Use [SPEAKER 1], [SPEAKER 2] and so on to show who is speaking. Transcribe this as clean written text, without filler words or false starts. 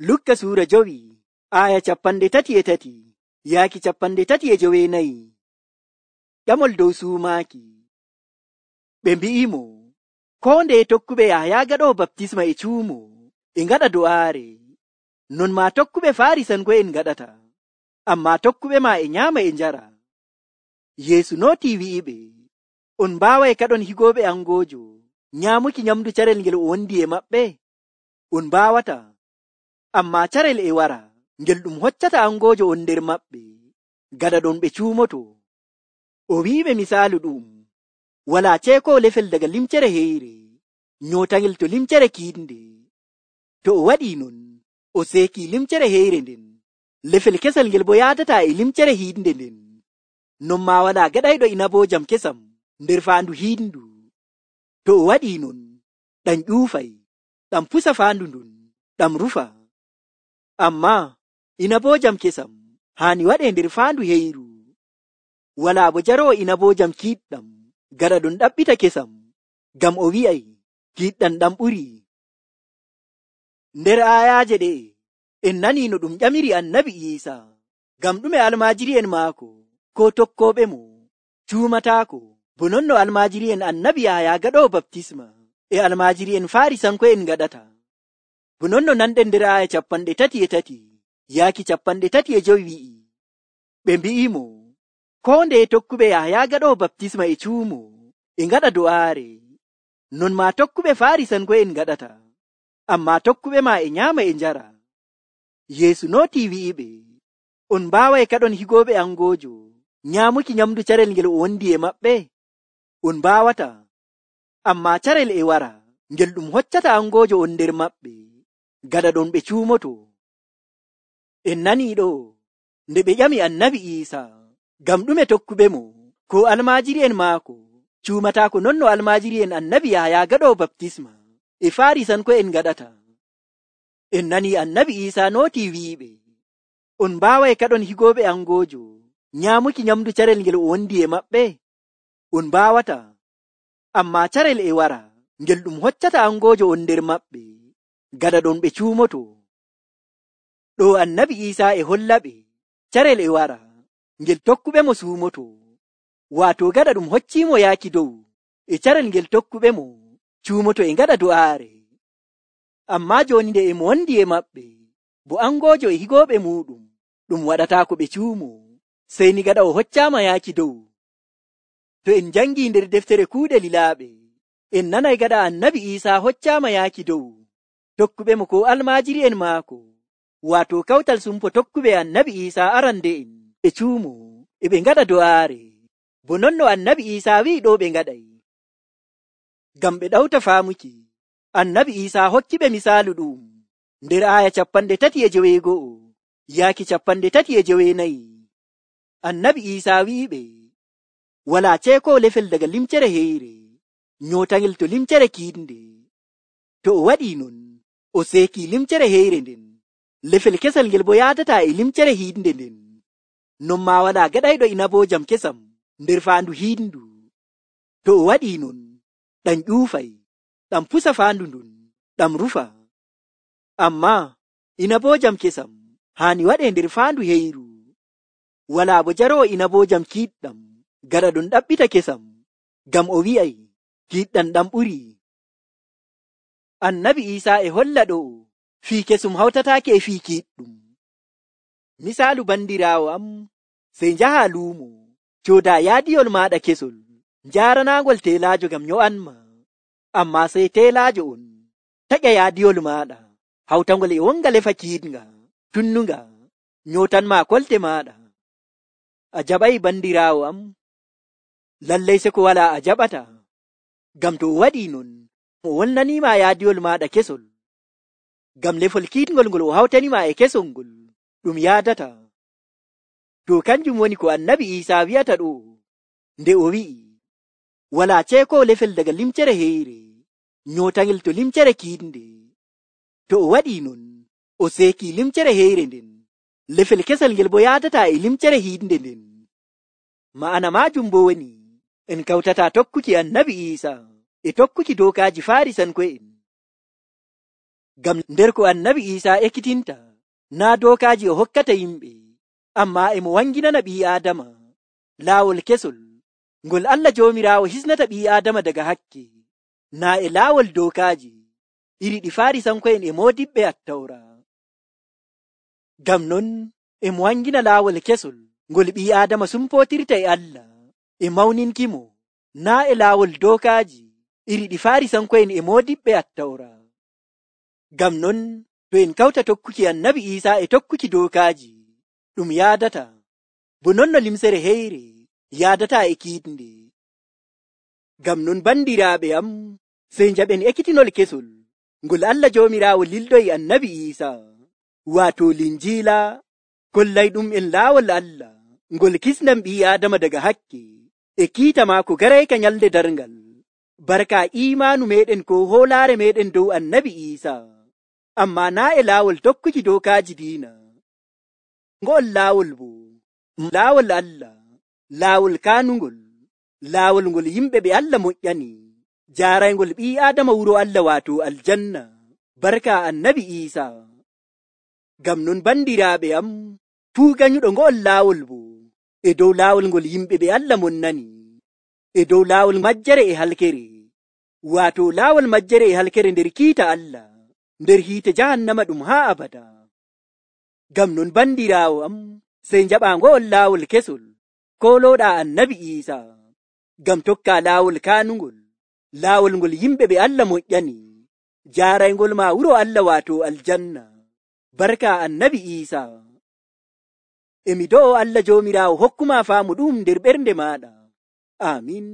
[SPEAKER 1] Lukka suura 5 aya 33 yaaki 34. Ƴamol dow suumaaki. Ɓe mbi'imo, koo ndeye tokkuɓe Yahaya gaɗoowo baptisma e cuumo e ngaɗa do'aare, non maa tokkuɓe Faarisanko'en ngaɗata, ammaa tokkuɓe maa e nyaama e njara. Yeesu nootii wi'iɓe, on mbaaway kaɗon higooɓe angoojo nyaamuki nyamndu carel ngel o wondi e maɓɓe? On mbaawata, ammaa carel e wara ngel ɗum hoccata angoojo on nder maɓɓe, gada ɗon ɓe cuumoto. O wi'iɓe misaalu ɗum, walaa ceekoowo lefel daga limcere heyre nyootangel to limcere kiiɗnde. To o waɗii non, o seekii limcere heyre nden, lefel kesal ngel bo yaadataa e limcere hiiɗnde nden. Non maa walaa gaɗayɗo inaboojam kesam nder faandu hiiɗndu. To o waɗii non, ɗam ƴuufay, ɗam pusa faandu ndun, ɗam rufa. Ammaa inaboojam kesam haani waɗee nder faandu heyru. Walaa bo jaroowo inaboojam kiiɗɗam gaɗa ɗum ɗaɓɓita kesam, ngam o wi'ay kiiɗɗam ɗam ɓurii. Nder aayaaje ɗe'e en nanii no ɗum ƴamiri annabi Iisaa, ngam ɗume almaajiri'en maako koo tokkooɓemo cuumataako, bo non no almaajiri'en annabi Yahaya gaɗoowo baptisma e almaajiri'en Faarisanko'en ngaɗata. Bo non no nanɗen nder aaya 33 yaaki 35 wi'i, ɓe mbi'imo, koo ndeye tokkuɓe Yahaya gaɗoowo baptisma e cuumo e ngaɗa do'aare, non maa tokkuɓe Faarisanko'en ngaɗata, ammaa tokkuɓe maa e nyaama e njara. Yeesu nootii wi'iɓe, on mbaaway kaɗon higooɓe angoojo nyaamuki nyamndu carel ngel o wondi e maɓɓe? On mbaawata, ammaa carel e wara ngel ɗum hoccata angoojo on nder maɓɓe, gada ɗon ɓe cuumoto. En nanii ɗo nde ɓe ƴami annabi Iisaa, ngam ɗume tokkuɓemo koo almaajiri'en maako cuumataako non no almaajiri'en annabi Yahaya gaɗoowo baptisma e Faarisanko'en ngaɗata. En nanii annabi Iisaa nootii wi'iɓe, on mbaaway kaɗon higooɓe angoojo nyaamuki nyamndu carel ngel o wondi e maɓɓe? On mbaawata, ammaa carel e wara ngel ɗum hoccata angoojo on nder maɓɓe, gada ɗon ɓe cuumoto. Ɗo annabi Iisaa e hollaɓe carel e wara ngel tokkuɓemo suumoto, waato gada ɗum hocciimo yaaki dow e carel ngel tokkuɓemo cuumoto e ngaɗa do'aare. Ammaa jooni nde e mo wondi e maɓɓe, bo angoojo e higooɓe muuɗum ɗum waɗataako ɓe cuumo, sey ni gaɗa o hoccaama yaaki dow. To en jangii nder deftere kuuɗe lilaaɓe, en nanay gaɗa annabi Iisaa hoccaama yaaki dow, tokkuɓemo koo almaajiri'en maako, waato kawtal sumpo tokkuɓe annabi Iisaa arande'en ɓe cuumo e ɓe ngaɗa do'aare, bo non no annabi Iisaa wi'i ɗo ɓe ngaɗay. Ngam ɓe ɗawta faamuki, annabi Iisaa hokkiɓe misaalu ɗum nder aaya 39 yaaki 34. Annabi Iisaa wi'iɓe, walaa ceekoowo lefel daga limcere heyre nyootangel to limcere kiiɗnde. To o waɗii non, o seekii limcere heyre nden, lefel kesal ngel bo yaadataa e limcere hiiɗnde nden. Non maa walaa gaɗayɗo inaboojam kesam nder faandu hiiɗndu. To o waɗii non, ɗam ƴuufay, ɗam pusa faandu ndun, ɗam rufa. Ammaa inaboojam kesam haani waɗee nder faandu heyru. Walaa bo jaroowo inaboojam kiiɗɗam gaɗa ɗum ɗaɓɓita kesam, ngam o wi'ay kiiɗɗam ɗam ɓurii. Annabi Iisaa e holla ɗo fii kesum hawtataake e fii kiiɗɗum. Misaalu bandiraawo am, sey njahaa luumo, coodaa yaadiyol maaɗa kesol, njaaranaangol teelaajo ngam nyo'anma. Ammaa sey teelaajo on taƴa yaadiyol maaɗa, hawtangol e wonga lefa kiiɗnga, tunnunga, nyootanmaa kolte maaɗa. A jaɓay bandiraawo am? Lallay se ko walaa a jaɓata, ngam to o waɗii non, o wonnaniima yaadiyol maaɗa kesol, ngam lefol kiiɗngol ngol o hawtanima e kesol ngol ɗum yaadata. To kanjum woni ko annabi Iisaa wi'ata ɗo nde o wi'i, walaa ceekoowo lefel daga limcere heyre nyootangel to limcere kiiɗnde. To o waɗii non, o seekii limcere heyre nden, lefel kesal ngel bo yaadataa e limcere hiiɗnde nden. Ma'ana maajum bo woni, en kawtataa tokkuki annabi Iisaa e tokkuki dookaaji Faarisanko'en. Ngam nder ko annabi Iisaa ekkitinta naa dookaaji o hokkata yimɓe, ammaa e mo wanginana ɓii Aadama laawol kesol ngol Allah Joomiraawo hisnata ɓii Aadama daga hakke, naa e laawol dookaaji iri ɗi Faarisanko'en e moodiɓɓe Attawra. Ngam non e mo wangina laawol kesol ngol ɓii Aadama sumpootirta e Allah e mawninkimo, naa e laawol dookaaji iri ɗi Faarisanko'en e moodiɓɓe Attawra. Ngam non to en kawta tokkuki annabi Iisaa e tokkuki dookaaji, ɗum yaadata bo non no limsere heyre yaadata e kiiɗnde. Ngam non bandiraaɓe am, sey njaɓen ekkitinol kesol ngol Allah Joomiraawo lildoyi annabi Iisaa, waato Linjiila, kollayɗum en laawol Allah ngol kisnan ɓii Aadama daga hakke e kiita maako garayka nyalde darngal, barka iimaanu meɗen ko hoolaare meɗen dow annabi Iisaa, ammaa naa e laawol tokkuki dookaaji diina. Ngo'ol laawol bo laawol Allah, laawol kaanungol, laawol ngol yimɓe ɓe Allah moƴƴani, jaaraygol ɓii Aadama wuro Allah waato aljanna, barka annabi Iisaa. Ngam non bandiraaɓe am, fuu ganyuɗo ngo'ol laawol bo e dow laawol ngol yimɓe ɓe Allah monnani, e dow laawol majjere e halkere, waato laawol majjere e halkere nder kiita Allah, nder hiite jahannama ɗum haa abada. Ngam non bandiraawo am, sey njaɓa ngo'ol laawol kesol kolooɗa annabi Iisaa, ngam tokka laawol kaanungol, laawol ngol yimɓe ɓe Allah moƴƴani, jaaraygol ma wuro Allah waato aljanna, barka annabi Iisaa. E mi do'o Allah Joomiraawo hokkuma faamu ɗum nder ɓernde maaɗa. Amin.